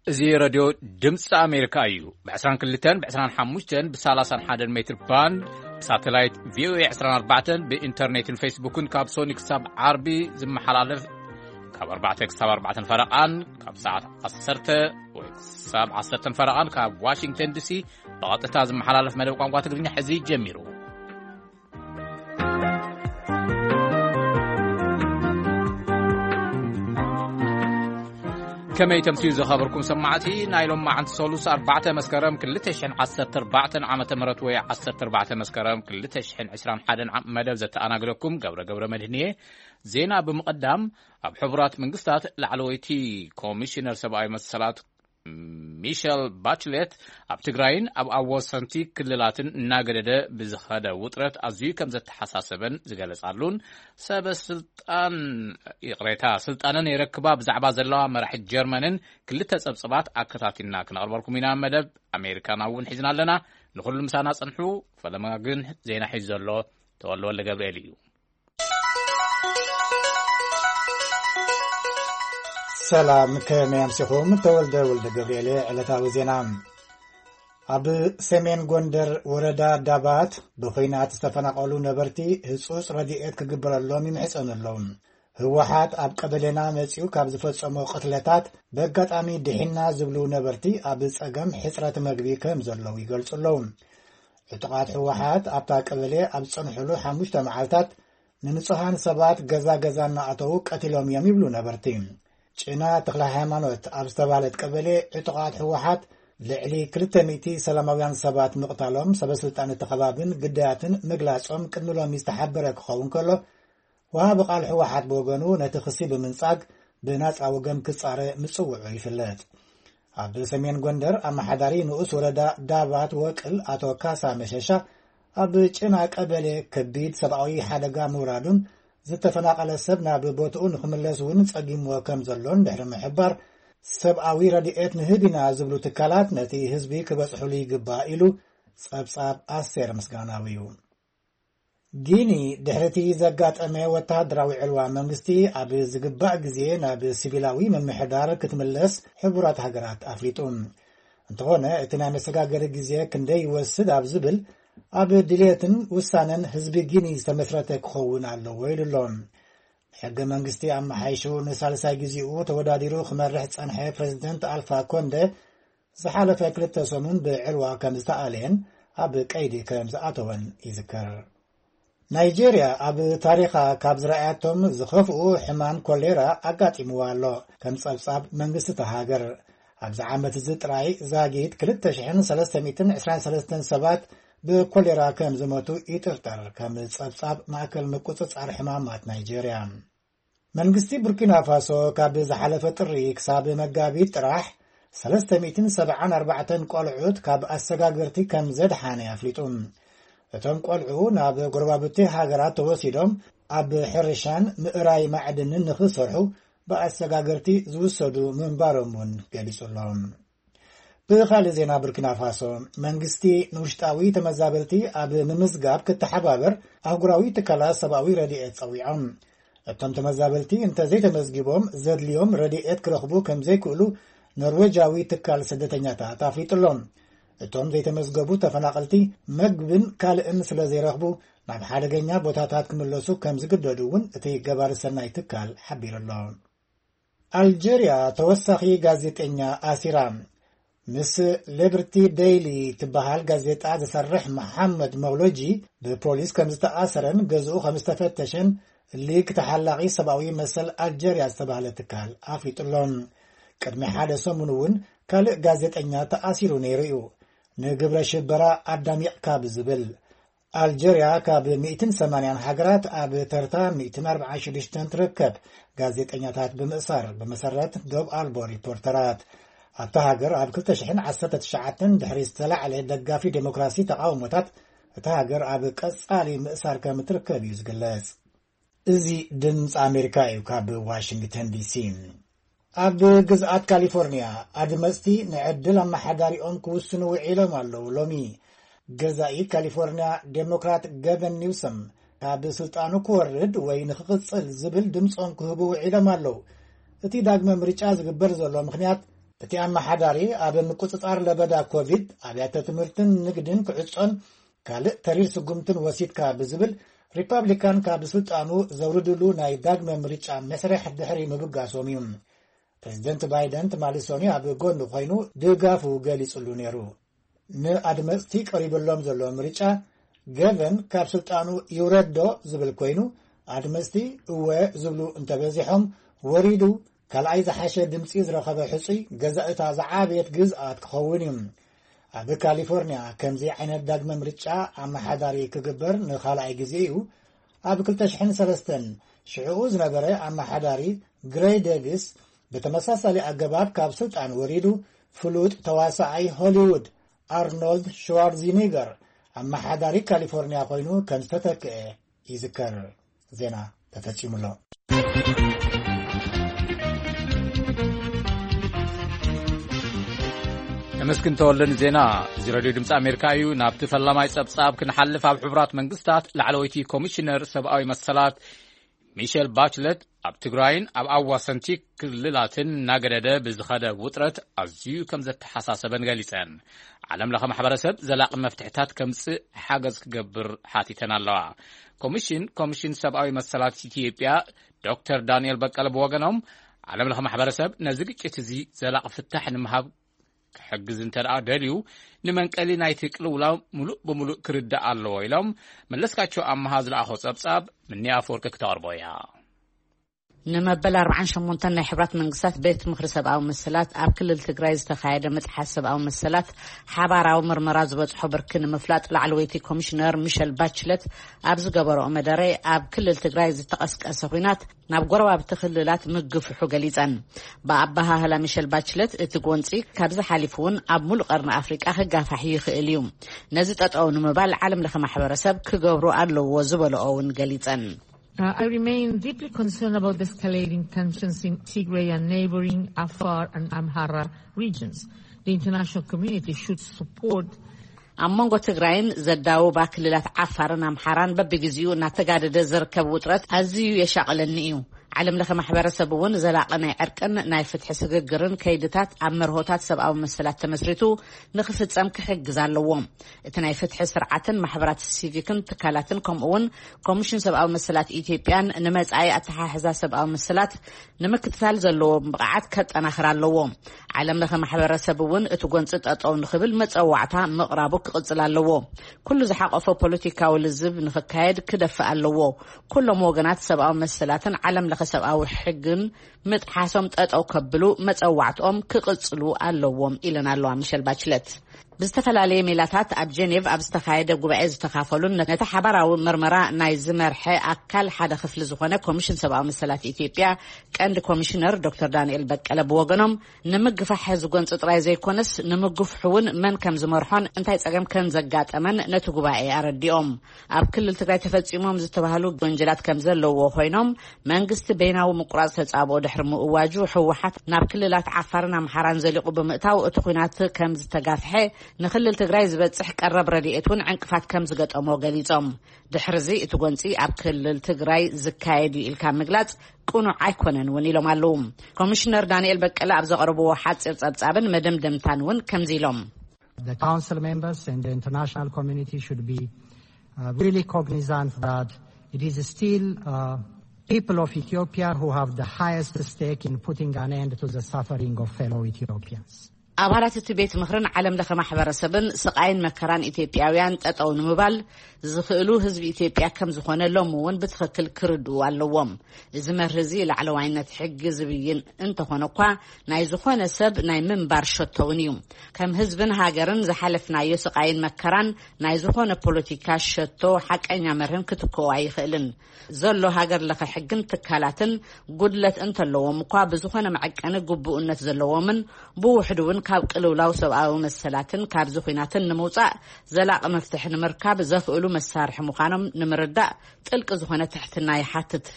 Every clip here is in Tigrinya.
እዚ ረድዮ ድምፂ ኣሜሪካ እዩ። ብ22፣ ብ25፣ ብ31 ሜትር ባንድ፣ ብሳተላይት ቪ ኦ ኤ 24፣ ብኢንተርኔትን ፌስቡክን ካብ ሶኒ ክሳብ ዓርቢ ዝመሓላለፍ፣ ካብ ኣርባዕተ ክሳብ ኣርባዕተን ፈረቓን፣ ካብ ሰዓት ዓሰርተ ወይ ክሳብ ዓሰርተን ፈረቓን ካብ ዋሽንግተን ዲሲ ብቐጥታ ዝመሓላለፍ መደብ ቋንቋ ትግርኛ ሕዚ ጀሚሩ። ከመይ ተምስዩ ዝኸበርኩም ሰማዕቲ፣ ናይ ሎማዓንቲ ሰሉስ ኣርባዕተ መስከረም ክልተ ሽሕን ዓሰርተ ኣርባዕተን ዓመተ ምህረት ወይ ዓሰርተ ኣርባዕተ መስከረም ክልተ ሽሕን ዕስራን ሓደን ዓም መደብ ዘተኣናግደኩም ገብረ ገብረ መድህንየ። ዜና ብምቕዳም፣ ኣብ ሕቡራት መንግስታት ላዕለወይቲ ኮሚሽነር ሰብኣዊ መሰላት ሚሸል ባችሌት ኣብ ትግራይን ኣብ ኣወሰንቲ ክልላትን እናገደደ ብዝኸደ ውጥረት ኣዝዩ ከም ዘተሓሳሰበን ዝገለጻሉን፣ ሰበ ስልጣን፣ ይቕሬታ፣ ስልጣነን የረክባ ብዛዕባ ዘለዋ መራሒት ጀርመንን ክልተ ጸብጽባት ኣከታቲልና ክነቕርበልኩም ኢና። መደብ ኣሜሪካና እውን ሒዝና ኣለና። ንኹሉ ምሳና ጽንሑ። ፈለማ ግን ዜና ሒዙ ዘሎ ተወልደ ወልደ ገብርኤል እዩ። ሰላም፣ ከመይ ኣምሲኹም? ተወልደ ወልደ ገብርኤል። ዕለታዊ ዜና። ኣብ ሰሜን ጎንደር ወረዳ ዳባት ብኹናት ዝተፈናቐሉ ነበርቲ ህጹጽ ረድኤት ክግበረሎም ይምሕጸኑ ኣለዉ። ህወሓት ኣብ ቀበሌና መጺኡ ካብ ዝፈጸሞ ቅትለታት ብኣጋጣሚ ድሒና ዝብሉ ነበርቲ ኣብ ጸገም ሕጽረት መግቢ ከም ዘለዉ ይገልጹ ኣለዉ። ዕጡቓት ህወሓት ኣብታ ቀበሌ ኣብ ዝጸንሕሉ ሓሙሽተ መዓልታት ንንጹሃን ሰባት ገዛ ገዛ እናኣተዉ ቀቲሎም እዮም ይብሉ ነበርቲ። ጭና ተኽለ ሃይማኖት ኣብ ዝተባህለት ቀበሌ ዕጡቓት ህወሓት ልዕሊ ክልተ ሚእቲ ሰላማውያን ሰባት ምቕታሎም ሰበስልጣን እቲ ከባብን ግዳያትን ምግላጾም ቅድሚ ሎሚ ዝተሓበረ ክኸውን ከሎ፣ ወሃቢ ቃል ህወሓት ብወገኑ ነቲ ክሲ ብምንጻግ ብናጻ ወገን ክጻረ ምጽውዑ ይፍለጥ። ኣብ ሰሜን ጎንደር ኣመሓዳሪ ንኡስ ወረዳ ዳባት ወቅል ኣቶ ካሳ መሸሻ ኣብ ጭና ቀበሌ ከቢድ ሰብኣዊ ሓደጋ ምውራዱን ዝተፈናቐለ ሰብ ናብ ቦትኡ ንኽምለስ እውን ጸጊምዎ ከም ዘሎን ድሕሪ ምሕባር፣ ሰብኣዊ ረድኤት ንህብ ኢና ዝብሉ ትካላት ነቲ ህዝቢ ክበጽሑሉ ይግባእ ኢሉ ጸብጻብ ኣስቴር ምስጋናዊ እዩ። ጊኒ ድሕሪቲ ዘጋጠመ ወተሃደራዊ ዕልዋ መንግስቲ ኣብ ዝግባእ ግዜ ናብ ሲቪላዊ ምምሕዳር ክትምለስ ሕቡራት ሃገራት ኣፍሊጡ። እንተኾነ እቲ ናይ መሰጋገሪ ግዜ ክንደይ ይወስድ ኣብ ዝብል ኣብ ድልየትን ውሳነን ህዝቢ ጊኒ ዝተመስረተ ክኸውን ኣለዎ ኢሉ ኣሎ። ሕገ መንግስቲ ኣመሓይሹ ንሳልሳይ ግዜኡ ተወዳዲሩ ክመርሕ ዝጸንሐ ፕሬዝደንት ኣልፋ ኮንደ ዝሓለፈ ክልተ ሰሙን ብዕልዋ ከም ዝተኣለየን ኣብ ቀይዲ ከም ዝኣተወን ይዝከር። ናይጄርያ ኣብ ታሪኻ ካብ ዝረኣያቶም ዝኸፍኡ ሕማም ኮሌራ ኣጋጢምዋ ኣሎ። ከም ጸብጻብ መንግስቲ እታ ሃገር፣ ኣብዚ ዓመት እዚ ጥራይ ዛጊት ክልተ ሽሕን ሰለስተ ሚእትን ዕስራን ሰለስተን ሰባት ብኮሌራ ከም ዝሞቱ ይጥርጠር፣ ከም ጸብጻብ ማእከል ምቁጽጻር ሕማማት ናይጄርያ። መንግስቲ ቡርኪና ፋሶ ካብ ዝሓለፈ ጥሪ ክሳብ መጋቢት ጥራሕ ሰለስተ ሚእትን ሰብዓን ኣርባዕተን ቆልዑት ካብ ኣሰጋገርቲ ከም ዘድሓነ ኣፍሊጡ። እቶም ቆልዑ ናብ ጎረባብቲ ሃገራት ተወሲዶም ኣብ ሕርሻን ምእራይ ማዕድንን ንኽሰርሑ ብኣሰጋገርቲ ዝውሰዱ ምንባሮም እውን ገሊጹ ኣሎ። ብኻልእ ዜና፣ ቡርኪና ፋሶ መንግስቲ ንውሽጣዊ ተመዛበልቲ ኣብ ምምዝጋብ ክተሓባበር ኣህጉራዊ ትካላት ሰብኣዊ ረድኤት ጸዊዖም። እቶም ተመዛበልቲ እንተዘይተመዝጊቦም ዘድልዮም ረድኤት ክረኽቡ ከም ዘይክእሉ ኖርዌጃዊ ትካል ስደተኛታት ኣፍሊጡ ኣሎ። እቶም ዘይተመዝገቡ ተፈናቐልቲ መግብን ካልእን ስለ ዘይረኽቡ ናብ ሓደገኛ ቦታታት ክምለሱ ከም ዝግደዱ እውን እቲ ገባሪ ሰናይ ትካል ሓቢሩ ኣሎ። ኣልጀርያ ተወሳኺ ጋዜጠኛ ኣሲራ። ምስ ሊበርቲ ዴይሊ ትበሃል ጋዜጣ ዝሰርሕ መሓመድ መውሎጂ ብፖሊስ ከም ዝተኣሰረን ገዝኡ ከም ዝተፈተሸን ሊግ ተሓላቒ ሰብኣዊ መሰል ኣልጀርያ ዝተባህለ ትካል ኣፍሊጡ ኣሎ። ቅድሚ ሓደ ሰሙን እውን ካልእ ጋዜጠኛ ተኣሲሩ ነይሩ እዩ፣ ንግብረ ሽበራ ኣዳሚቕካ ብዝብል። ኣልጀርያ ካብ ሚእትን ሰማንያን ሃገራት ኣብ ተርታ ሚእትን ኣርባዓን ሽዱሽተን ትርከብ፣ ጋዜጠኛታት ብምእሳር፣ ብመሰረት ዶብ ኣልቦ ሪፖርተራት። ኣብታ ሃገር ኣብ ክልተ ሽሕን ዓሰርተ ትሽዓተን ድሕሪ ዝተላዕለ ደጋፊ ዴሞክራሲ ተቓውሞታት፣ እታ ሃገር ኣብ ቀጻሊ ምእሳር ከም እትርከብ እዩ ዝግለጽ። እዚ ድምፂ ኣሜሪካ እዩ፣ ካብ ዋሽንግተን ዲሲ። ኣብ ግዝኣት ካሊፎርኒያ ኣድመፅቲ ንዕድል ኣመሓዳሪኦም ክውስኑ ውዒሎም ኣለዉ። ሎሚ ገዛኢ ካሊፎርኒያ ዴሞክራት ገቨን ኒውሰም ካብ ስልጣኑ ክወርድ ወይ ንክቕፅል ዝብል ድምፆም ክህቡ ውዒሎም ኣለዉ። እቲ ዳግመ ምርጫ ዝግበር ዘሎ ምኽንያት እቲ ኣመሓዳሪ ኣብ ምቁጽጻር ለበዳ ኮቪድ ኣብያተ ትምህርትን ንግድን ክዕጾን ካልእ ተሪር ስጉምትን ወሲድካ ብዝብል ሪፓብሊካን ካብ ስልጣኑ ዘውርድሉ ናይ ዳግመ ምርጫ መስርሕ ድሕሪ ምብጋሶም እዩ። ፕሬዚደንት ባይደን ትማሊ ሰኑይ ኣብ ጎኑ ኮይኑ ድጋፉ ገሊጹሉ ነይሩ። ንኣድመጽቲ ቀሪብሎም ዘሎ ምርጫ ገቨን ካብ ስልጣኑ ይውረዶ ዝብል ኮይኑ፣ ኣድመጽቲ እወ ዝብሉ እንተበዚሖም፣ ወሪዱ ካልኣይ ዝሓሸ ድምጺ ዝረኸበ ሕጹይ ገዛእታ ዝዓበየት ግዝኣት ክኸውን እዩ። ኣብ ካሊፎርኒያ ከምዚ ዓይነት ዳግመ ምርጫ ኣመሓዳሪ ክግበር ንኻልኣይ ግዜ እዩ። ኣብ ክልተ ሽሕን ሰለስተን ሽዕኡ ዝነበረ ኣመሓዳሪ ግሬይ ዴቪስ ብተመሳሳሊ ኣገባብ ካብ ስልጣን ወሪዱ፣ ፍሉጥ ተዋሳኣይ ሆሊውድ ኣርኖልድ ሽዋርዚኒገር ኣመሓዳሪ ካሊፎርኒያ ኮይኑ ከም ዝተተክአ ይዝከር። ዜና ተፈጺሙ ኣሎ። ተመስግን ተወልደ ንዜና። እዚ ሬድዮ ድምፂ ኣሜሪካ እዩ። ናብቲ ፈላማይ ጸብጻብ ክንሓልፍ፣ ኣብ ሕቡራት መንግስታት ላዕለወይቲ ኮሚሽነር ሰብኣዊ መሰላት ሚሸል ባችለት ኣብ ትግራይን ኣብ ኣዋሰንቲ ክልላትን እናገደደ ብዝኸደ ውጥረት ኣዝዩ ከም ዘተሓሳሰበን ገሊጸን። ዓለም ለኸ ማሕበረሰብ ዘላቒ መፍትሕታት ከምጽእ ሓገዝ ክገብር ሓቲተን ኣለዋ። ኮሚሽን ኮሚሽን ሰብኣዊ መሰላት ኢትዮጵያ ዶክተር ዳንኤል በቀለ ብወገኖም፣ ዓለም ለኸ ማሕበረሰብ ነዚ ግጭት እዚ ዘላቒ ፍታሕ ንምሃብ ክሕግዝ እንተ ደኣ ደልዩ፣ ንመንቀሊ ናይቲ ቅልውላው ምሉእ ብምሉእ ክርዳእ ኣለዎ ኢሎም። መለስካቸው ኣመሃ ዝለኣኾ ጸብጻብ ምኒ ኣፈወርቂ ክተቕርቦ እያ። ንመበል ኣርባዓን ሸሞንተን ናይ ሕብራት መንግስታት ቤት ምኽሪ ሰብኣዊ መሰላት ኣብ ክልል ትግራይ ዝተኻየደ ምጥሓስ ሰብኣዊ መሰላት ሓባራዊ ምርመራ ዝበጽሖ ብርኪ ንምፍላጥ ላዕለወይቲ ኮሚሽነር ሚሸል ባችለት ኣብ ዝገበረኦ መደረ፣ ኣብ ክልል ትግራይ ዝተቐስቀሰ ኲናት ናብ ጎረባብቲ ክልላት ምግፍሑ ገሊጸን። ብኣበሃህላ ሚሸል ባችለት፣ እቲ ጎንጺ ካብዚ ሓሊፉ እውን ኣብ ሙሉእ ቀርኒ ኣፍሪቃ ክጋፋሕ ይኽእል እዩ። ነዚ ጠጠው ንምባል ዓለም ለኸ ማሕበረሰብ ክገብሩ ኣለዎ ዝበለኦ እውን ገሊጸን። Uh, I remain deeply concerned about the escalating tensions in Tigray and neighboring Afar and Amhara regions. The international community should support ኣብ መንጎ ትግራይን ዘዳውባ ክልላት ዓፋርን ኣምሓራን በብግዜኡ እናተጋደደ ዝርከብ ውጥረት ኣዝዩ የሻቕለኒ እዩ። ዓለም ለኸ ማሕበረሰብ እውን ዘላቒ ናይ ዕርቅን ናይ ፍትሒ ስግግርን ከይድታት ኣብ መርሆታት ሰብኣዊ መሰላት ተመስሪቱ ንክፍጸም ክሕግዝ ኣለዎ። እቲ ናይ ፍትሒ ስርዓትን ማሕበራት ሲቪክን ትካላትን፣ ከምኡ እውን ኮሚሽን ሰብኣዊ መሰላት ኢትዮጵያን ንመጻኢ ኣተሓሕዛ ሰብኣዊ መሰላት ንምክትታል ዘለዎ ብቕዓት ከጠናኽር ኣለዎ። ዓለም ለኸ ማሕበረሰብ እውን እቲ ጎንፂ ጠጠው ንኽብል መጸዋዕታ ምቕራቡ ክቕጽል ኣለዎ። ኩሉ ዝሓቆፈ ፖለቲካዊ ልዝብ ንኽካየድ ክደፍእ ኣለዎ። ኩሎም ወገናት ሰብኣዊ መሰላትን ዓለም ለኸ ሰብኣዊ ሕግን ምጥሓሶም ጠጠው ከብሉ መጸዋዕትኦም ክቕጽሉ ኣለዎም ኢለን ኣለዋ ሚሸል ባችለት። ብዝተፈላለየ ሜላታት ኣብ ጀኔቭ ኣብ ዝተኻየደ ጉባኤ ዝተኻፈሉን ነቲ ሓባራዊ ምርመራ ናይ ዝመርሐ ኣካል ሓደ ክፍሊ ዝኾነ ኮሚሽን ሰብኣዊ መሰላት ኢትዮጵያ ቀንዲ ኮሚሽነር ዶክተር ዳንኤል በቀለ ብወገኖም፣ ንምግፋሕ ዝጎንፂ ጥራይ ዘይኮነስ ንምግፍሑ እውን መን ከም ዝመርሖን እንታይ ጸገም ከም ዘጋጠመን ነቲ ጉባኤ ኣረዲኦም። ኣብ ክልል ትግራይ ተፈጺሞም ዝተባህሉ ወንጀላት ከም ዘለዎ ኮይኖም፣ መንግስቲ በይናዊ ምቁራጽ ተጻብኦ ድሕሪ ምእዋጁ፣ ህወሓት ናብ ክልላት ዓፋርን ኣምሓራን ዘሊቑ ብምእታው፣ እቲ ኲናት ከም ዝተጋፍሐ፣ ንክልል ትግራይ ዝበጽሕ ቀረብ ረድኤት እውን ዕንቅፋት ከም ዝገጠሞ ገሊጾም። ድሕርዚ እቲ ጎንጺ ኣብ ክልል ትግራይ ዝካየድ እዩ ኢልካ ምግላጽ ቅኑዕ ኣይኮነን እውን ኢሎም ኣለዉ። ኮሚሽነር ዳንኤል በቀለ ኣብ ዘቕረብዎ ሓጺር ጸብጻብን መደምደምታን እውን ከምዚ ኢሎም። The council members and the international community should be, uh, really cognizant that it is still, uh, people of Ethiopia who have the highest stake in putting an end to the suffering of fellow Ethiopians. ኣባላት እቲ ቤት ምኽርን ዓለም ለኸ ማሕበረሰብን ስቓይን መከራን ኢትዮጵያውያን ጠጠው ንምባል ዝኽእሉ ህዝቢ ኢትዮጵያ ከም ዝኾነ ሎም እውን ብትኽክል ክርድኡ ኣለዎም። እዚ መርህ እዚ ላዕለዋይነት ሕጊ ዝብይን እንተኾነ እኳ፣ ናይ ዝኾነ ሰብ ናይ ምንባር ሸቶ እውን እዩ። ከም ህዝብን ሃገርን ዝሓለፍናዮ ስቓይን መከራን ናይ ዝኾነ ፖለቲካ ሸቶ ሓቀኛ መርህን ክትክኦ ኣይኽእልን። ዘሎ ሃገር ለኸ ሕግን ትካላትን ጉድለት እንተለዎም እኳ፣ ብዝኾነ መዐቀኒ ግቡእነት ዘለዎምን ብውሕዱ እውን ካብ ቅልውላው ሰብኣዊ መሰላትን ካብዚ ኲናትን ንምውጻእ ዘላቒ መፍትሒ ንምርካብ ዘኽእሉ መሳርሒ ምዃኖም ንምርዳእ ጥልቂ ዝኾነ ትሕትና ይሓትት።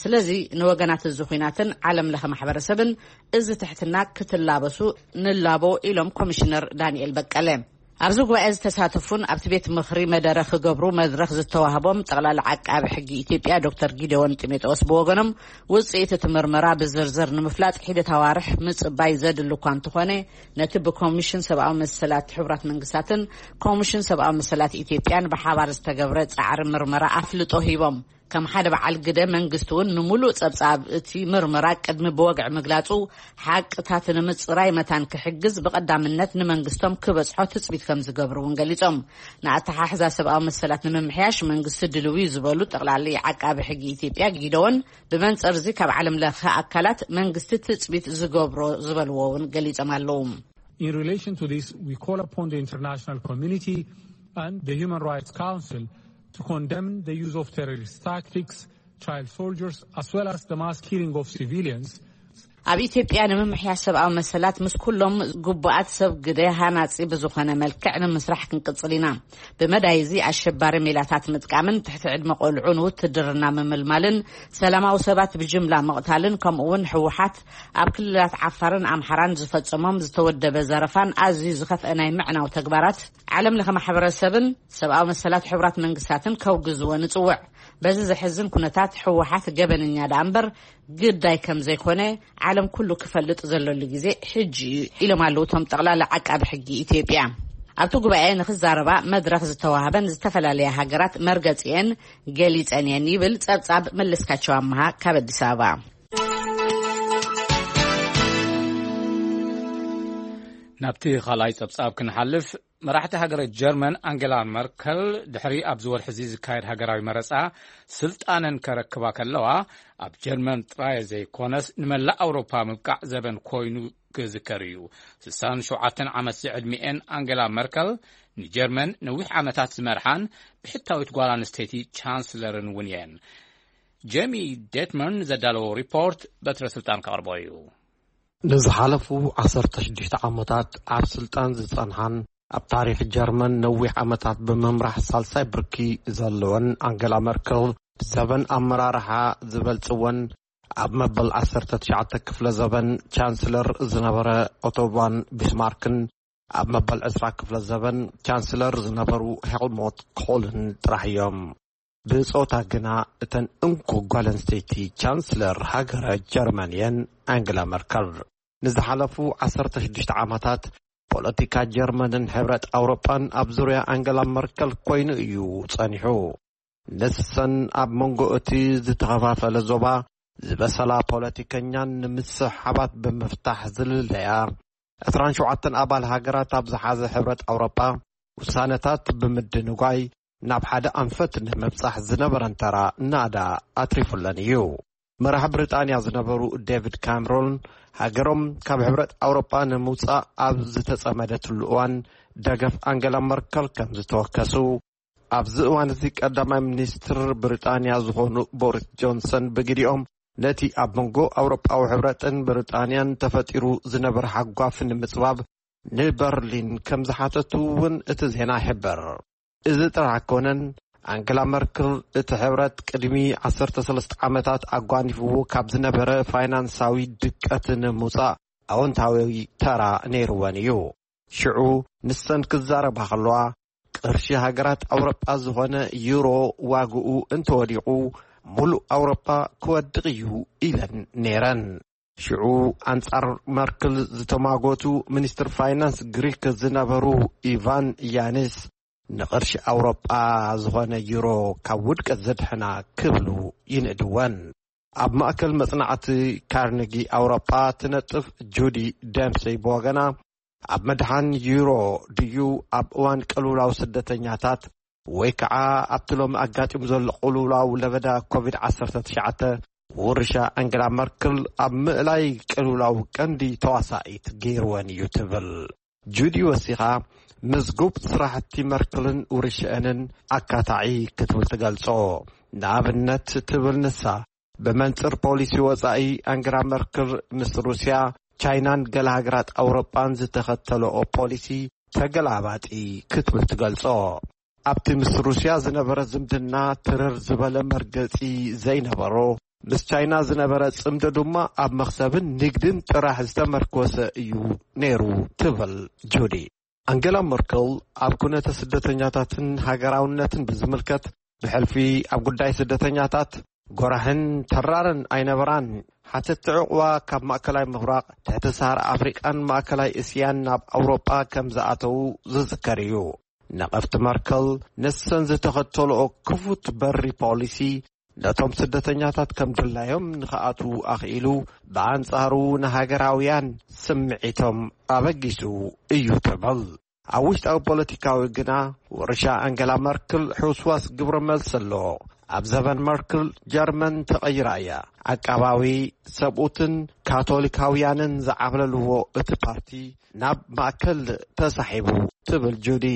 ስለዚ ንወገናት እዚ ኲናትን ዓለም ለኸ ማሕበረሰብን እዚ ትሕትና ክትላበሱ ንላቦ ኢሎም ኮሚሽነር ዳንኤል በቀለ። ኣብዚ ጉባኤ ዝተሳተፉን ኣብቲ ቤት ምኽሪ መደረ ክገብሩ መድረኽ ዝተዋህቦም ጠቕላሊ ዓቃቢ ሕጊ ኢትዮጵያ ዶክተር ጊደዎን ጢሞቴዎስ ብወገኖም፣ ውፅኢት እቲ ምርመራ ብዝርዝር ንምፍላጥ ሒደት ኣዋርሕ ምፅባይ ዘድሊ እኳ እንተኾነ፣ ነቲ ብኮሚሽን ሰብኣዊ መሰላት ሕቡራት መንግስታትን ኮሚሽን ሰብኣዊ መሰላት ኢትዮጵያን ብሓባር ዝተገብረ ፃዕሪ ምርመራ ኣፍልጦ ሂቦም። ከም ሓደ በዓል ግደ፣ መንግስቲ እውን ንምሉእ ጸብጻብ እቲ ምርመራ ቅድሚ ብወግዒ ምግላጹ፣ ሓቅታት ንምጽራይ መታን ክሕግዝ ብቐዳምነት ንመንግስቶም ክበጽሖ ትጽቢት ከም ዝገብሩ እውን ገሊጾም። ንኣተሓሕዛ ሰብኣዊ መሰላት ንምምሕያሽ መንግስቲ ድልው እዩ ዝበሉ ጠቕላሊ ዓቃቢ ሕጊ ኢትዮጵያ ጊደዎን፣ ብመንጽር እዚ ካብ ዓለም ለኸ ኣካላት መንግስቲ ትጽቢት ዝገብሮ ዝበልዎ እውን ገሊጾም ኣለዉ። In relation to this, we call upon the international community and the Human Rights Council to condemn the use of terrorist tactics, child soldiers, as well as the mass killing of civilians. ኣብ ኢትዮጵያ ንምምሕያሽ ሰብኣዊ መሰላት ምስ ኩሎም ግቡኣት ሰብ ግደ ሃናጺ ብዝኾነ መልክዕ ንምስራሕ ክንቅጽል ኢና። ብመዳይ እዚ ኣሸባሪ ሜላታት ምጥቃምን ትሕቲ ዕድመ ቆልዑ ንውትድርና ምምልማልን ሰላማዊ ሰባት ብጅምላ ምቕታልን ከምኡ እውን ህወሓት ኣብ ክልላት ዓፋርን ኣምሓራን ዝፈጸሞም ዝተወደበ ዘረፋን ኣዝዩ ዝኸፍአ ናይ ምዕናው ተግባራት ዓለም ለኸ ማሕበረሰብን ሰብኣዊ መሰላት ሕቡራት መንግስታትን ከውግዝዎ ንጽውዕ። በዚ ዘሕዝን ኩነታት ህወሓት ገበነኛ ደኣ እምበር ግዳይ ከም ዘይኮነ ዓለም ኩሉ ክፈልጥ ዘለሉ ግዜ ሕጂ እዩ ኢሎም ኣለዉ እቶም ጠቕላላ ዓቃቢ ሕጊ ኢትዮጵያ። ኣብቲ ጉባኤ ንክዛረባ መድረኽ ዝተዋህበን ዝተፈላለያ ሃገራት መርገጺኤን ገሊጸን እየን ይብል ጸብጻብ መለስካቸው ኣመሃ ካብ ኣዲስ ኣበባ። ናብቲ ካልኣይ ጸብጻብ ክንሓልፍ፣ መራሕቲ ሃገረ ጀርመን ኣንጌላ መርከል ድሕሪ ኣብዚ ወርሒ እዚ ዝካየድ ሃገራዊ መረጻ ስልጣነን ከረክባ ከለዋ፣ ኣብ ጀርመን ጥራይ ዘይኮነስ ንመላእ ኣውሮፓ ምብቃዕ ዘበን ኮይኑ ክዝከር እዩ። ስሳን ሸውዓተን ዓመት ዝዕድሚኤን ኣንጌላ መርከል ንጀርመን ነዊሕ ዓመታት ዝመርሓን ብሕታዊት ጓል ኣንስተይቲ ቻንስለርን እውን እየን። ጄሚ ዴትመርን ዘዳለዎ ሪፖርት በትረ ስልጣን ከቕርቦ እዩ። ንዝሓለፉ ዓሰርተ ሽዱሽተ ዓመታት ኣብ ስልጣን ዝጸንሓን ኣብ ታሪኽ ጀርመን ነዊሕ ዓመታት ብምምራሕ ሳልሳይ ብርኪ ዘለወን ኣንገላ መርከል፣ ብዘበን ኣመራርሓ ዝበልጽወን ኣብ መበል ዓሰርተ ትሽዓተ ክፍለ ዘበን ቻንስለር ዝነበረ ኦቶ ቫን ቢስማርክን ኣብ መበል ዕስራ ክፍለ ዘበን ቻንስለር ዝነበሩ ሄልሞት ኮልን ጥራሕ እዮም። ብጾታ ግና እተን እንኮ ጓል ኣንስተይቲ ቻንስለር ሃገረ ጀርመን እየን፣ ኣንግላ መርከል። ንዝሓለፉ ዓሰርተ ሽዱሽተ ዓመታት ፖለቲካ ጀርመንን ሕብረት ኣውሮጳን ኣብ ዙርያ ኣንገላ መርከል ኮይኑ እዩ ጸኒሑ። ንሰን ኣብ መንጎ እቲ ዝተኸፋፈለ ዞባ ዝበሰላ ፖለቲከኛን ንምስሕሓባት ብምፍታሕ ዝልለያ ዕስራን ሸውዓተን ኣባል ሃገራት ኣብ ዝሓዘ ሕብረት ኣውሮጳ ውሳነታት ብምድንጓይ ናብ ሓደ ኣንፈት ንምብጻሕ ዝነበረን ተራ ናዳ ኣትሪፉለን እዩ። መራሕ ብሪጣንያ ዝነበሩ ዴቪድ ካምሮን ሃገሮም ካብ ሕብረት ኣውሮጳ ንምውጻእ ኣብ ዝተጸመደትሉ እዋን ደገፍ ኣንገላ መርከል ከም ዝተወከሱ፣ ኣብዚ እዋን እዚ ቀዳማይ ሚኒስትር ብሪጣንያ ዝኾኑ ቦሪስ ጆንሰን ብግዲኦም ነቲ ኣብ መንጎ ኣውሮጳዊ ሕብረትን ብሪጣንያን ተፈጢሩ ዝነበረ ሓጓፍ ንምጽባብ ንበርሊን ከም ዝሓተቱ እውን እቲ ዜና ይሕብር። እዚ ጥራሕ ኣይኮነን፣ ኣንገላ መርክል እቲ ሕብረት ቅድሚ ዓሰርተ ሰለስተ ዓመታት ኣጓኒፍዎ ካብ ዝነበረ ፋይናንሳዊ ድቀት ንምውጻእ ኣወንታዊ ተራ ነይርወን እዩ። ሽዑ ንሰን ክዛረባ ከለዋ፣ ቅርሺ ሃገራት ኣውሮጳ ዝኾነ ዩሮ ዋግኡ እንተወዲቑ፣ ሙሉእ ኣውሮጳ ክወድቕ እዩ ኢለን ነይረን። ሽዑ ኣንጻር መርክል ዝተማጎቱ ሚኒስትር ፋይናንስ ግሪክ ዝነበሩ ኢቫን ያኒስ፣ ንቕርሺ ኣውሮጳ ዝኾነ ዩሮ ካብ ውድቀት ዘድሕና ክብሉ ይንእድወን። ኣብ ማእከል መጽናዕቲ ካርነጊ ኣውሮጳ ትነጥፍ ጁዲ ደምሰይ ብወገና፣ ኣብ ምድሓን ዩሮ ድዩ ኣብ እዋን ቅልውላው ስደተኛታት ወይ ከዓ ኣብቲ ሎሚ ኣጋጢሙ ዘሎ ቅልውላው ለበዳ ኮቪድ ዓሰርተ ትሽዓተ ውርሻ ኣንገላ መርክል ኣብ ምእላይ ቅልውላው ቀንዲ ተዋሳኢት ገይርወን እዩ ትብል። ጁዲ ወሲኻ፣ ምዝጉብ ስራሕቲ መርክልን ውርሽአንን ኣካታዒ ክትብል ትገልጾ። ንኣብነት ትብል ንሳ፣ ብመንጽር ፖሊሲ ወጻኢ ኣንገላ መርክል ምስ ሩስያ፣ ቻይናን ገለ ሃገራት ኣውሮጳን ዝተኸተለኦ ፖሊሲ ተገላባጢ ክትብል ትገልጾ። ኣብቲ ምስ ሩስያ ዝነበረ ዝምድና ትርር ዝበለ መርገጺ ዘይነበሮ፣ ምስ ቻይና ዝነበረ ጽምዶ ድማ ኣብ መኽሰብን ንግድን ጥራሕ ዝተመርኮሰ እዩ ነይሩ ትብል ጁዲ። ኣንገላ መርከል ኣብ ኩነተ ስደተኛታትን ሃገራውነትን ብዝምልከት፣ ብሕልፊ ኣብ ጉዳይ ስደተኛታት ጎራሕን ተራርን ኣይነበራን። ሓተቲ ዕቑባ ካብ ማእከላይ ምብራቕ፣ ትሕቲ ሰሃራ ኣፍሪቃን ማእከላይ እስያን ናብ ኣውሮጳ ከም ዝኣተዉ ዝዝከር እዩ። ነቐፍቲ መርከል ንሰን ዝተኸተልኦ ክፉት በሪ ፖሊሲ፣ ነቶም ስደተኛታት ከም ድላዮም ንኽኣትዉ ኣኽኢሉ፣ ብኣንጻሩ ንሃገራውያን ስምዒቶም ኣበጊሱ እዩ ትብል። ኣብ ውሽጣዊ ፖለቲካዊ ግና፣ ውርሻ ኣንገላ መርክል ሕውስዋስ ግብረ መልሲ ኣሎ። ኣብ ዘበን መርክል፣ ጀርመን ተቐይራ እያ። ዓቃባዊ፣ ሰብኡትን ካቶሊካውያንን ዝዓብለልዎ እቲ ፓርቲ ናብ ማእከል ተሳሒቡ፣ ትብል ጁዲ።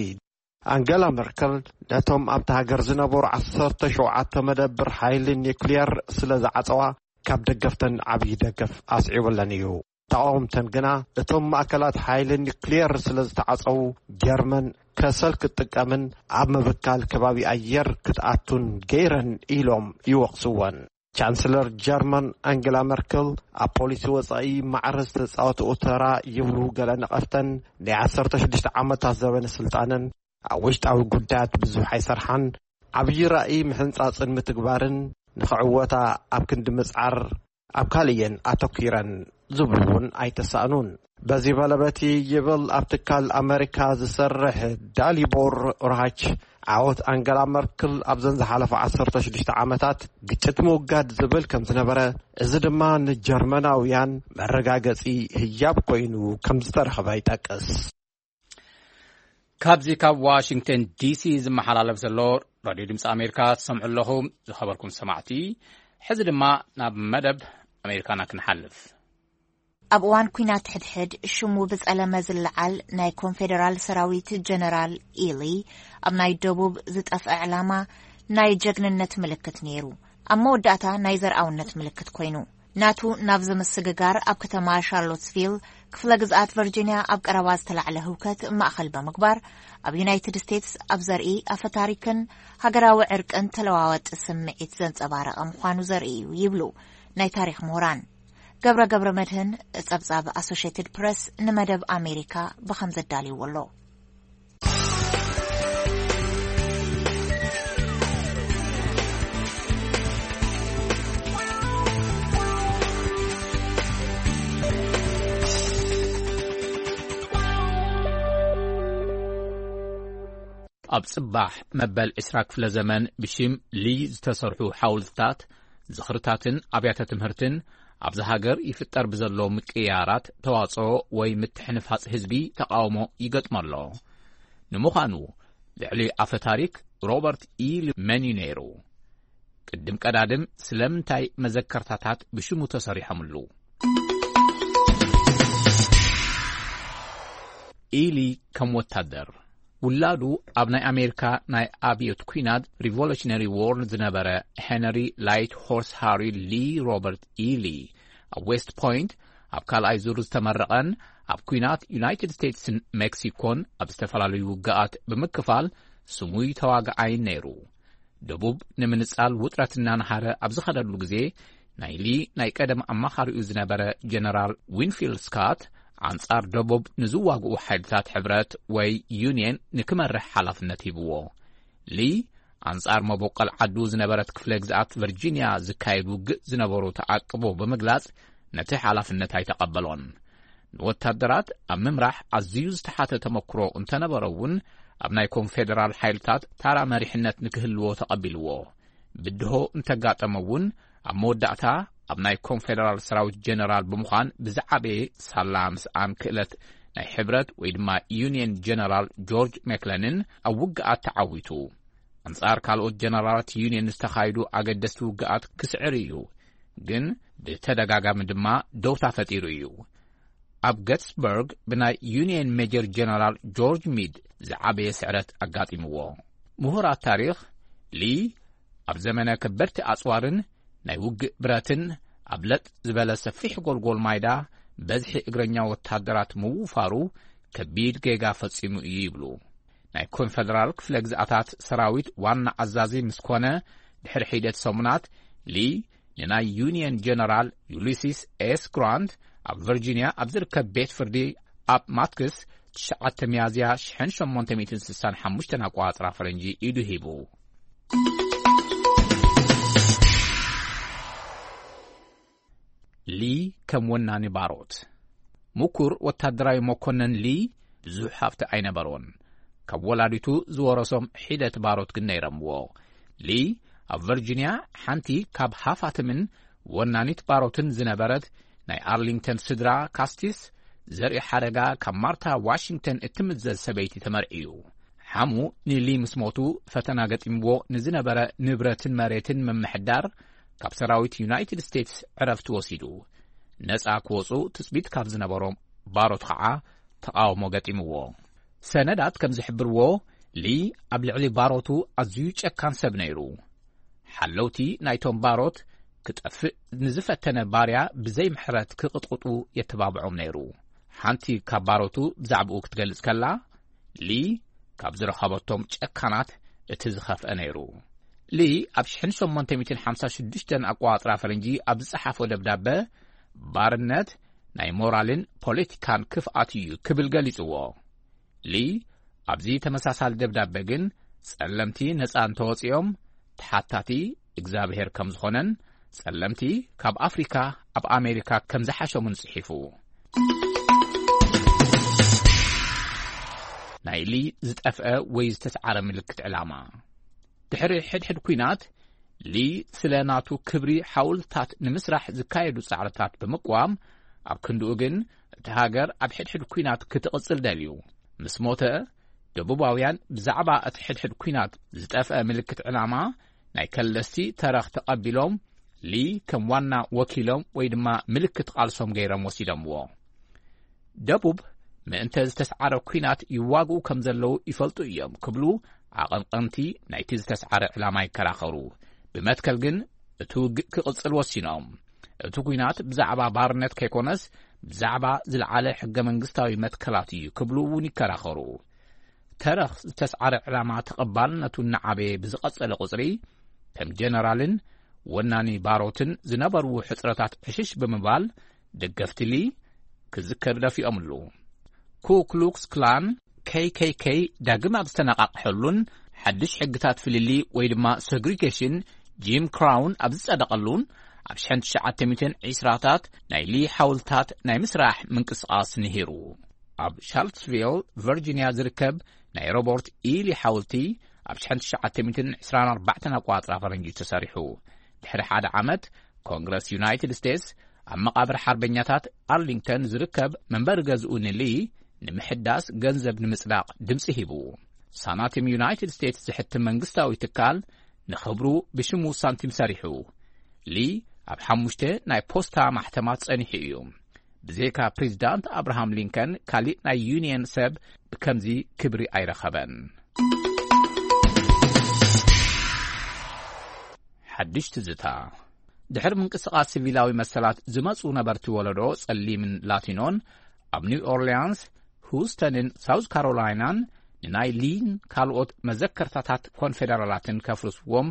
ኣንገላ መርከል ነቶም ኣብታ ሃገር ዝነበሩ ዓሰርተ ሸውዓተ መደብር ሓይሊ ኒውክሊየር ስለ ዝዓጸዋ፣ ካብ ደገፍተን ዓብዪ ደገፍ ኣስዒቡለን እዩ። ተቓወምተን ግና፣ እቶም ማእከላት ሓይሊ ኒውክሊየር ስለ ዝተዓጸዉ፣ ጀርመን ከሰል ክትጥቀምን ኣብ ምብካል ከባቢ ኣየር ክትኣቱን ገይረን ኢሎም ይወቕስወን። ቻንስለር ጀርመን ኣንገላ መርከል ኣብ ፖሊሲ ወጻኢ ማዕረ ዝተጻወትኦ ተራ ይብሉ ገለ ነቐፍተን፣ ናይ ዓሰርተ ሽዱሽተ ዓመታት ዘበነ ስልጣነን ኣብ ውሽጣዊ ጉዳያት ብዙሕ ኣይሰርሓን፣ ዓብዪ ራእይ ምሕንጻጽን ምትግባርን ንኽዕወታ ኣብ ክንዲ ምጽዓር ኣብ ካልእ እየን ኣተኲረን ዝብሉ እውን ኣይተሳእኑን። በዚ መለበቲ ይብል ኣብ ትካል ኣመሪካ ዝሰርሕ ዳሊቦር ራች፣ ዓወት ኣንገላ መርክል ኣብዘን ዝሓለፈ ዓሰርተ ሽዱሽተ ዓመታት ግጭት ምውጋድ ዝብል ከም ዝነበረ፣ እዚ ድማ ንጀርመናውያን መረጋገጺ ህያብ ኮይኑ ከም ዝተረኽበ ይጠቅስ። ካብዚ ካብ ዋሽንግተን ዲሲ ዝመሓላለፍ ዘሎ ራድዮ ድምፂ ኣሜሪካ ትሰምዑ ኣለኹም። ዝኸበርኩም ሰማዕቲ፣ ሕዚ ድማ ናብ መደብ ኣሜሪካና ክንሓልፍ። ኣብ እዋን ኲናት ሕድሕድ ሽሙ ብጸለመ ዝለዓል ናይ ኮንፌደራል ሰራዊት ጀነራል ኢሊ፣ ኣብ ናይ ደቡብ ዝጠፍአ ዕላማ ናይ ጀግንነት ምልክት ነይሩ። ኣብ መወዳእታ ናይ ዘርኣውነት ምልክት ኮይኑ። ናቱ ናብ ዝምስግጋር ኣብ ከተማ ሻርሎትስቪል ክፍለ ግዝኣት ቨርጂንያ ኣብ ቀረባ ዝተላዕለ ህውከት ማእኸል ብምግባር፣ ኣብ ዩናይትድ ስቴትስ ኣብ ዘርኢ ኣፈታሪክን ሃገራዊ ዕርቅን ተለዋዋጢ ስምዒት ዘንጸባረቐ ምዃኑ ዘርኢ እዩ ይብሉ ናይ ታሪኽ ምሁራን። ገብረ ገብረ መድህን ጸብጻብ ኣሶሽየትድ ፕረስ ንመደብ ኣሜሪካ ብኸም ዘዳልይዎ ኣሎ። ኣብ ጽባሕ መበል ዕስራ ክፍለ ዘመን ብሽም ሊ ዝተሰርሑ ሓውልትታት፣ ዝኽርታትን ኣብያተ ትምህርትን ኣብዚ ሃገር ይፍጠር ብዘሎ ምቅያራት ተዋጽኦ ወይ ምትሕንፋጽ ህዝቢ ተቃውሞ ይገጥሞ ኣሎ። ንምዃኑ፣ ልዕሊ ኣፈ ታሪክ ሮበርት ኢ ሊ መን እዩ ነይሩ? ቅድም ቀዳድም ስለምንታይ መዘከርታታት ብሽሙ ተሰሪሖምሉ? ኢሊ ከም ወታደር፣ ውላዱ ኣብ ናይ ኣሜሪካ ናይ ኣብዮት ኲናት፣ ሪቮሉሽነሪ ዎር፣ ዝነበረ ሄነሪ ላይት ሆርስ ሃሪ ሊ ሮበርት ኢሊ፣ ኣብ ዌስት ፖይንት ኣብ ካልኣይ ዙር ዝተመረቐን ኣብ ኲናት ዩናይትድ ስቴትስን ሜክሲኮን ኣብ ዝተፈላለዩ ውግኣት ብምክፋል ስሙይ ተዋጋኣይን ነይሩ። ደቡብ ንምንጻል ውጥረት እናነሃረ ኣብ ዝኸደሉ ግዜ፣ ናይ ሊ ናይ ቀደም ኣማኻሪኡ ዝነበረ ጀነራል ዊንፊልድ ስካት፣ ኣንጻር ደቡብ ንዝዋግኡ ሓይልታት ሕብረት ወይ ዩንየን ንክመርሕ ሓላፍነት ሂብዎ። ሊ ኣንጻር መበቆል ዓዱ ዝነበረት ክፍለ ግዝኣት ቨርጂንያ ዝካየድ ውግእ ዝነበሩ ተዓቅቦ ብምግላጽ፣ ነቲ ሓላፍነት ኣይተቐበሎን። ንወታደራት ኣብ ምምራሕ ኣዝዩ ዝተሓተ ተመክሮ እንተነበሮ እውን፣ ኣብ ናይ ኮንፌደራል ሓይልታት ታራ መሪሕነት ንክህልዎ ተቐቢልዎ። ብድሆ እንተጋጠመ እውን፣ ኣብ መወዳእታ ኣብ ናይ ኮንፌደራል ሰራዊት ጀነራል ብምዃን ብዝዓበየ ሳላ ምስኣን ክእለት ናይ ሕብረት ወይ ድማ ዩንየን ጀነራል ጆርጅ ሜክለንን ኣብ ውግኣት ተዓዊቱ። ኣንጻር ካልኦት ጀነራላት ዩንየን ዝተኻየዱ ኣገደስቲ ውግኣት ክስዕር እዩ፣ ግን ብተደጋጋሚ ድማ ደውታ ፈጢሩ እዩ። ኣብ ገትስበርግ ብናይ ዩንየን ሜጀር ጀነራል ጆርጅ ሚድ ዝዓበየ ስዕረት ኣጋጢምዎ። ምሁራት ታሪኽ፣ ሊ ኣብ ዘመነ ከበድቲ ኣጽዋርን ናይ ውግእ ብረትን ኣብ ለጥ ዝበለ ሰፊሕ ጎልጎል ማይዳ በዝሒ እግረኛ ወታደራት ምውፋሩ ከቢድ ጌጋ ፈጺሙ እዩ ይብሉ። ናይ ኮንፈደራል ክፍለ ግዝኣታት ሰራዊት ዋና ኣዛዚ ምስ ኮነ ድሕሪ ሒደት ሰሙናት፣ ሊ ንናይ ዩንየን ጀነራል ዩሊሲስ ኤስ ግራንት ኣብ ቨርጂንያ ኣብ ዝርከብ ቤት ፍርዲ ኣብ ማትክስ ትሽዓተ ሚያዝያ ሽሕን ሸሞንተ ሚእትን ስሳን ሓሙሽተን ኣቋጽራ ፈረንጂ ኢዱ ሂቡ። ሊ ከም ወናኒ ባሮት። ምኩር ወታደራዊ መኮነን ሊ ብዙሕ ሃብቲ ኣይነበሮን። ካብ ወላዲቱ ዝወረሶም ሒደት ባሮት ግን ነይረምዎ። ሊ ኣብ ቨርጂንያ ሓንቲ ካብ ሃፋትምን ወናኒት ባሮትን ዝነበረት ናይ ኣርሊንግተን ስድራ ካስቲስ ዘርኢ ሓደጋ ካብ ማርታ ዋሽንግተን እትምዘዝ ሰበይቲ ተመርዕዩ። ሓሙ ንሊ ምስ ሞቱ ፈተና ገጢምዎ ንዝነበረ ንብረትን መሬትን ምምሕዳር ካብ ሰራዊት ዩናይትድ ስቴትስ ዕረፍቲ ወሲዱ። ነጻ ክወጹ ትጽቢት ካብ ዝነበሮም ባሮት ኸዓ ተቓውሞ ገጢምዎ። ሰነዳት ከም ዝሕብርዎ ሊ ኣብ ልዕሊ ባሮቱ ኣዝዩ ጨካን ሰብ ነይሩ። ሓለውቲ ናይቶም ባሮት ክጠፍእ ንዝፈተነ ባርያ ብዘይ ምሕረት ክቕጥቕጡ የተባብዖም ነይሩ። ሓንቲ ካብ ባሮቱ ብዛዕባኡ ክትገልጽ ከላ፣ ሊ ካብ ዝረኸበቶም ጨካናት እቲ ዝኸፍአ ነይሩ። ሊ ኣብ ሽሕን ሸሞንተ ሚእትን ሓምሳ ሽዱሽተን ኣቋጽራ ፈረንጂ ኣብ ዝጸሓፎ ደብዳበ፣ ባርነት ናይ ሞራልን ፖለቲካን ክፍኣት እዩ ክብል ገሊጽዎ። ሊ ኣብዚ ተመሳሳሊ ደብዳበ ግን፣ ጸለምቲ ነጻ እንተወጺኦም ተሓታቲ እግዚኣብሔር ከም ዝኾነን ጸለምቲ ካብ ኣፍሪካ ኣብ ኣሜሪካ ከም ዝሓሸሙን ጽሒፉ። ናይ ሊ ዝጠፍአ ወይ ዝተስዓረ ምልክት ዕላማ። ድሕሪ ሕድሕድ ኲናት፣ ሊ ስለ ናቱ ክብሪ ሓውልታት ንምስራሕ ዝካየዱ ጻዕርታት ብምቅዋም፣ ኣብ ክንድኡ ግን እቲ ሃገር ኣብ ሕድሕድ ኲናት ክትቕጽል ደልዩ። ምስ ሞተ፣ ደቡባውያን ብዛዕባ እቲ ሕድሕድ ኲናት ዝጠፍአ ምልክት ዕላማ ናይ ከለስቲ ተረኽ ተቐቢሎም፣ ሊ ከም ዋና ወኪሎም ወይ ድማ ምልክት ቃልሶም ገይሮም ወሲዶምዎ። ደቡብ ምእንተ ዝተስዓረ ኲናት ይዋግኡ ከም ዘለዉ ይፈልጡ እዮም ክብሉ ኣቐንቐንቲ ናይቲ ዝተስዓረ ዕላማ ይከራኸሩ። ብመትከል ግን እቲ ውግእ ክቕጽል ወሲኖም። እቲ ኲናት ብዛዕባ ባርነት ከይኮነስ ብዛዕባ ዝለዓለ ሕገ መንግስታዊ መትከላት እዩ ክብሉ እውን ይከራኸሩ። ተረኽ ዝተስዓረ ዕላማ ተቐባልነቱ እናዓበየ ብዝቐጸለ ቁጽሪ፣ ከም ጀነራልን ወናኒ ባሮትን ዝነበርዎ ሕጽረታት ዕሽሽ ብምባል፣ ደገፍቲ ሊ ክዝከር ደፊኦምሉ። ኩ ክሉክስ ክላን፣ ኬይ ኬይ ኬይ፣ ዳግም ኣብ ዝተነቓቕሐሉን ሓድሽ ሕግታት ፍልልይ ወይ ድማ ሰግሪጌሽን፣ ጂም ክራውን ኣብ ዝጸደቐሉን፣ ኣብ ሽሕን ትሽዓተ ሚእትን ዕስራታት ናይ ሊ ሓውልታት ናይ ምስራሕ ምንቅስቓስ ንሂሩ። ኣብ ሻርልስቪል ቨርጂንያ ዝርከብ ናይ ሮበርት ኢሊ ሓውልቲ ኣብ ሽሕን ትሽዓተ ሚእትን ዕስራን ኣርባዕተን ኣቋጽራ ፈረንጂ ተሰሪሑ። ድሕሪ ሓደ ዓመት፣ ኮንግረስ ዩናይትድ ስቴትስ ኣብ መቓብር ሓርበኛታት ኣርሊንግተን ዝርከብ መንበሪ ገዝኡ ንሊ ንምሕዳስ ገንዘብ ንምጽዳቕ ድምጺ ሂቡ። ሳናቲም ዩናይትድ ስቴትስ ዝሕትም መንግስታዊ ትካል ንኽብሩ ብሽሙ ሳንቲም ሰሪሑ። ሊ ኣብ ሓሙሽተ ናይ ፖስታ ማሕተማት ጸኒሑ እዩ። ብዘይካ ፕሬዚዳንት ኣብርሃም ሊንከን ካሊእ ናይ ዩኒየን ሰብ ብከምዚ ክብሪ ኣይረኸበን። ሓድሽ ትዝታ። ድሕሪ ምንቅስቓስ ሲቪላዊ መሰላት ዝመጹ ነበርቲ ወለዶ ጸሊምን ላቲኖን ኣብ ኒው ኦርሊያንስ፣ ሁስተንን ሳውዝ ካሮላይናን ንናይ ሊን ካልኦት መዘከርታታት ኮንፌደራላትን ከፍርስዎም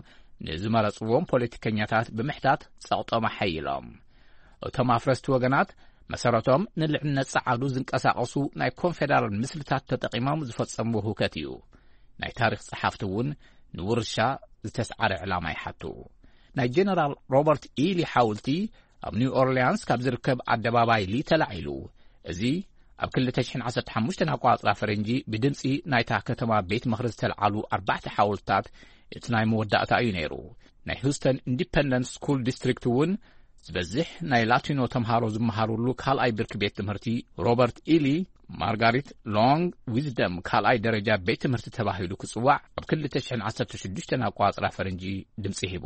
ንዝመረጽዎም ፖለቲከኛታት ብምሕታት ጸቕጦም ኣሐይሎም። እቶም ኣፍረስቲ ወገናት መሰረቶም ንልዕልነት ጸዓዱ ዝንቀሳቐሱ ናይ ኮንፌደራል ምስልታት ተጠቒሞም ዝፈጸምዎ ህውከት እዩ። ናይ ታሪኽ ጸሓፍቲ እውን ንውርሻ ዝተስዓረ ዕላማ ይሓቱ። ናይ ጀነራል ሮበርት ኢሊ ሓውልቲ ኣብ ኒው ኦርሊያንስ ካብ ዝርከብ ኣደባባይ ሊ ተላዒሉ። እዚ ኣብ ክልተ ሽሕን ዓሰርተ ሓሙሽተን ኣቋጽራ ፈረንጂ ብድምጺ ናይታ ከተማ ቤት ምኽሪ ዝተልዓሉ ኣርባዕተ ሓውልታት እቲ ናይ መወዳእታ እዩ ነይሩ። ናይ ሁስተን ኢንዲፐንደንት ስኩል ዲስትሪክት እውን ዝበዝሕ ናይ ላቲኖ ተምሃሮ ዝመሃሩሉ ካልኣይ ብርኪ ቤት ትምህርቲ ሮበርት ኢሊ ማርጋሪት ሎንግ ዊዝደም ካልኣይ ደረጃ ቤት ትምህርቲ ተባሂሉ ክጽዋዕ ኣብ ክልተ ሽሕን ዓሰርተ ሽዱሽተን ኣቋጽራ ፈረንጂ ድምጺ ሂቡ።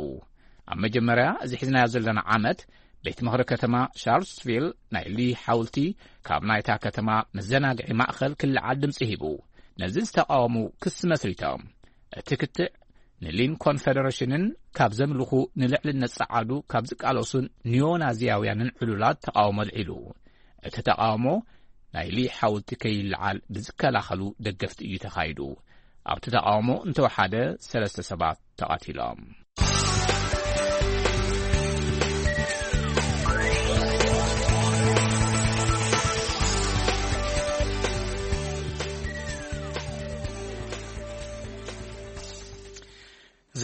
ኣብ መጀመርያ እዚ ሒዝናዮ ዘለና ዓመት ቤት ምኽሪ ከተማ ሻርልስቪል ናይ ሊ ሓውልቲ ካብ ናይታ ከተማ መዘናግዒ ማእኸል ክልዓል ድምጺ ሂቡ። ነዚ ዝተቃወሙ ክሲ መስሪቶም። እቲ ክትዕ ንሊን ኮንፈደሬሽንን ካብ ዘምልኹ ንልዕልነት ጸዓዱ ካብ ዝቃለሱን ኒዮናዚያውያንን ዕሉላት ተቃውሞ ኣልዒሉ። እቲ ተቃውሞ ናይ ሊ ሓውልቲ ከይልዓል ብዝከላኸሉ ደገፍቲ እዩ ተኻይዱ። ኣብቲ ተቃውሞ እንተወሓደ ሰለስተ ሰባት ተቐቲሎም።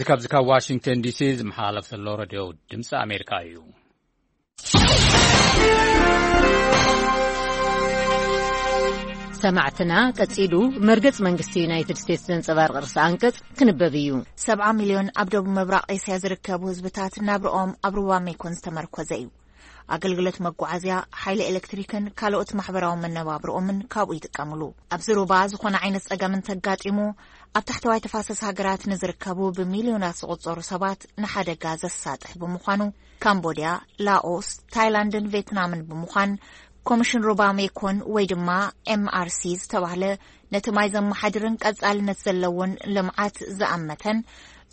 እዚ ካብዚ ካብ ዋሽንግተን ዲሲ ዝመሓላለፍ ዘሎ ሬድዮ ድምፂ ኣሜሪካ እዩ። ሰማዕትና፣ ቀጺሉ መርገጽ መንግስቲ ዩናይትድ ስቴትስ ዘንጸባርቕ ርእሰ ኣንቀጽ ክንበብ እዩ። ሰብዓ ሚልዮን ኣብ ደቡብ ምብራቕ ኤስያ ዝርከቡ ህዝብታት ናብርኦም ኣብ ሩባ ሜኮን ዝተመርኮዘ እዩ። ኣገልግሎት መጓዓዝያ፣ ሓይሊ ኤሌክትሪክን ካልኦት ማሕበራዊ መነባብርኦምን ካብኡ ይጥቀምሉ። ኣብዚ ሩባ ዝኾነ ዓይነት ጸገም እንተጋጢሙ፣ ኣብ ታሕተዋይ ተፋሰስ ሃገራት ንዝርከቡ ብሚልዮናት ዝቑጸሩ ሰባት ንሓደጋ ዘሳጥሕ ብምዃኑ፣ ካምቦድያ፣ ላኦስ፣ ታይላንድን ቬትናምን ብምዃን ኮሚሽን ሩባ ሜኮን ወይ ድማ ኤምኣርሲ ዝተባህለ ነቲ ማይ ዘመሓድርን ቀጻልነት ዘለዎን ልምዓት ዝኣመተን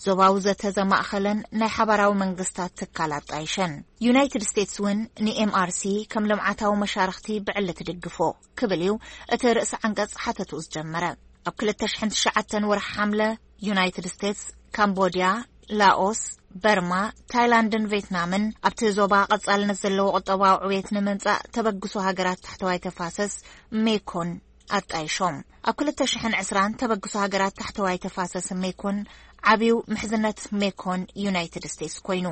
ዞባዊ ዘተ ዘማእኸለን ናይ ሓባራዊ መንግስታት ትካል ኣጣይሸን። ዩናይትድ ስቴትስ እውን ንኤምኣርሲ ከም ልምዓታዊ መሻርኽቲ ብዕሊ ትድግፎ ክብል እዩ እቲ ርእሲ ዓንቀጽ ሓተቱ ዝጀመረ። ኣብ ክልተ ሽሕን ትሽዓተን ወርሒ ሓምለ ዩናይትድ ስቴትስ፣ ካምቦድያ፣ ላኦስ፣ በርማ፣ ታይላንድን ቬትናምን ኣብቲ ዞባ ቀጻልነት ዘለዎ ቁጠባዊ ዕብየት ንምምጻእ ተበግሶ ሃገራት ታሕተዋይ ተፋሰስ ሜኮን ኣጣይሾም። ኣብ ክልተ ሽሕን ዕስራን ተበግሶ ሃገራት ታሕተዋይ ተፋሰስ ሜኮን ዓብዩ ምሕዝነት ሜኮን ዩናይትድ ስቴትስ ኮይኑ።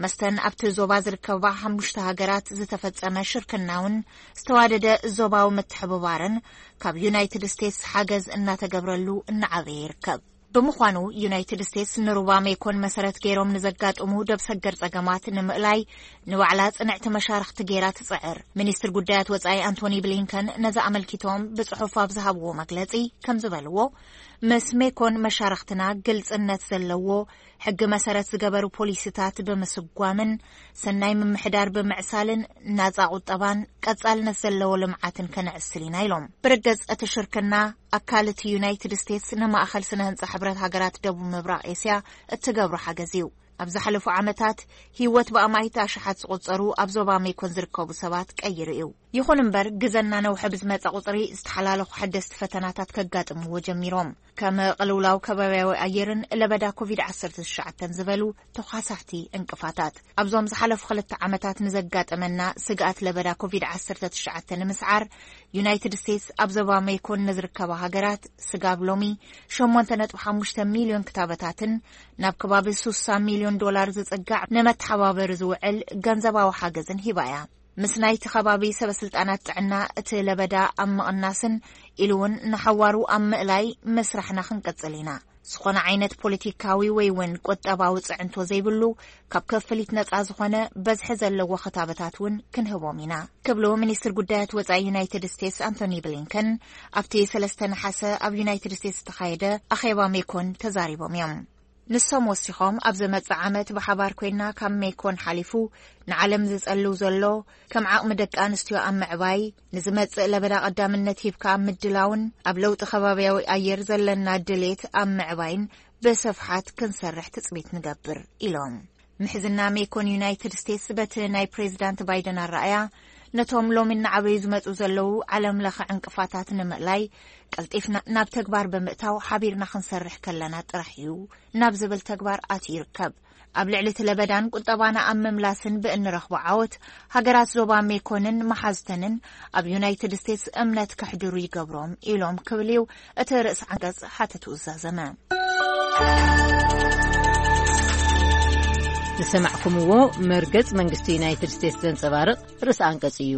መስተን ኣብቲ ዞባ ዝርከባ ሓሙሽተ ሃገራት ዝተፈጸመ ሽርክናውን ዝተዋደደ ዞባዊ ምትሕብባርን ካብ ዩናይትድ ስቴትስ ሓገዝ እናተገብረሉ እናዓበየ ይርከብ። ብምዃኑ ዩናይትድ ስቴትስ ንሩባ ሜኮን መሰረት ገይሮም ንዘጋጥሙ ደብ ሰገር ጸገማት ንምእላይ ንባዕላ ጽንዕቲ መሻርኽቲ ገይራ ትጽዕር። ሚኒስትር ጉዳያት ወጻኢ ኣንቶኒ ብሊንከን ነዚ ኣመልኪቶም ብጽሑፍ ኣብ ዝሃብዎ መግለጺ ከም ዝበልዎ፣ ምስ ሜኮን መሻርኽትና ግልጽነት ዘለዎ ሕጊ መሰረት ዝገበሩ ፖሊሲታት ብምስጓምን ሰናይ ምምሕዳር ብምዕሳልን ናጻ ቁጠባን ቀጻልነት ዘለዎ ልምዓትን ከነዕስል ኢና ኢሎም። ብርገጽ እቲ ሽርክና ኣካል እቲ ዩናይትድ ስቴትስ ንማእኸል ስነ ህንጻ ሕብረት ሃገራት ደቡብ ምብራቕ ኤስያ እትገብሮ ሓገዝ እዩ። ኣብ ዝሓለፉ ዓመታት ህይወት ብኣማኢት ኣሽሓት ዝቑጸሩ ኣብ ዞባ ሜኮን ዝርከቡ ሰባት ቀይሩ እዩ። ይኹን እምበር ግዘ እናነውሐ ብዝመጸ ቁጽሪ ዝተሓላለኹ ሓደስቲ ፈተናታት ከጋጥምዎ ጀሚሮም። ከም ቅልውላው ከባቢያዊ ኣየርን ለበዳ ኮቪድ ዓሰርተ ትሽዓተ ዝበሉ ተዃሳሕቲ እንቅፋታት። ኣብዞም ዝሓለፉ ክልተ ዓመታት ንዘጋጠመና ስግኣት ለበዳ ኮቪድ ዓሰርተ ትሽዓተ ንምስዓር ዩናይትድ ስቴትስ ኣብ ዞባ ሜኮን ንዝርከባ ሃገራት ስጋብ ሎሚ ሸሞንተ ነጥቢ ሓሙሽተ ሚልዮን ክታበታትን ናብ ከባቢ ሱሳ ሚልዮን ዶላር ዝጽጋዕ ንመተሓባበሪ ዝውዕል ገንዘባዊ ሓገዝን ሂባ እያ። ምስ ናይቲ ከባቢ ሰበ ስልጣናት ጥዕና እቲ ለበዳ ኣብ ምቕናስን ኢሉ እውን ንሓዋሩ ኣብ ምእላይ ምስራሕና ክንቅጽል ኢና። ዝኾነ ዓይነት ፖለቲካዊ ወይ እውን ቁጠባዊ ጽዕንቶ ዘይብሉ፣ ካብ ክፍሊት ነጻ ዝኾነ በዝሒ ዘለዎ ክታበታት እውን ክንህቦም ኢና ክብሉ ሚኒስትር ጉዳያት ወጻኢ ዩናይትድ ስቴትስ ኣንቶኒ ብሊንከን ኣብቲ ሰለስተ ነሓሰ ኣብ ዩናይትድ ስቴትስ ዝተኻየደ ኣኼባ ሜኮን ተዛሪቦም እዮም። ንሶም ወሲኾም፣ ኣብ ዝመጽእ ዓመት ብሓባር ኮይና ካብ ሜኮን ሓሊፉ ንዓለም ዝጸልው ዘሎ ከም ዓቕሚ ደቂ ኣንስትዮ ኣብ ምዕባይ፣ ንዝመጽእ ለበዳ ቀዳምነት ሂብካ ኣብ ምድላውን ኣብ ለውጢ ከባቢያዊ ኣየር ዘለና ድሌት ኣብ ምዕባይን ብስፍሓት ክንሰርሕ ትጽቢት ንገብር ኢሎም። ምሕዝና ሜኮን ዩናይትድ ስቴትስ በቲ ናይ ፕሬዚዳንት ባይደን ኣረኣያ ነቶም ሎሚ እናዓበዩ ዝመጹ ዘለዉ ዓለም ለኸ ዕንቅፋታት ንምእላይ ቀልጢፍና ናብ ተግባር ብምእታው ሓቢርና ክንሰርሕ ከለና ጥራሕ እዩ ናብ ዝብል ተግባር ኣትዩ ይርከብ። ኣብ ልዕሊ እቲ ለበዳን ቁጠባና ኣብ ምምላስን ብእንረኽቦ ዓወት፣ ሃገራት ዞባ ሜኮንን መሓዝተንን ኣብ ዩናይትድ ስቴትስ እምነት ከሕድሩ ይገብሮም ኢሎም ክብል እዩ እቲ ርእሲ ዓንቀጽ ሓተቱ ዝዛዘመ። ዝሰማዕኩምዎ መርገጽ መንግስቲ ዩናይትድ ስቴትስ ዘንጸባርቕ ርእሲ ኣንቀጽ እዩ።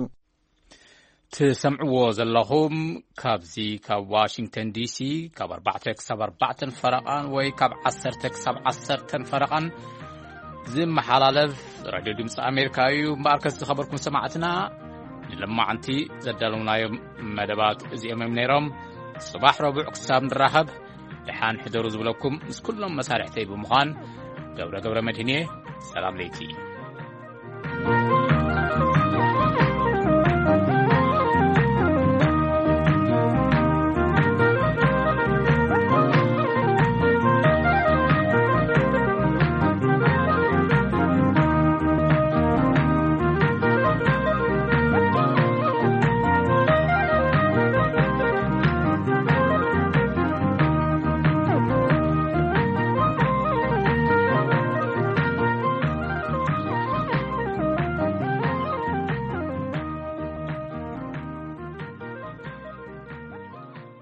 ትሰምዕዎ ዘለኹም ካብዚ ካብ ዋሽንግተን ዲሲ ካብ ኣርባዕተ ክሳብ ኣርባዕተን ፈረቓን ወይ ካብ ዓሰርተ ክሳብ ዓሰርተን ፈረቓን ዝመሓላለፍ ራድዮ ድምፂ ኣሜሪካ እዩ። እምበኣርከስ ዝኸበርኩም ሰማዕትና፣ ንለማዕንቲ ዘዳለውናዮም መደባት እዚኦም እዮም ነይሮም። ጽባሕ ረቡዕ ክሳብ ንራኸብ ደሓን ሕደሩ ዝብለኩም ምስ ኩሎም መሳርሕተይ ብምዃን ገብረ ገብረ መድህን እየ። ሰላም ለይቲ።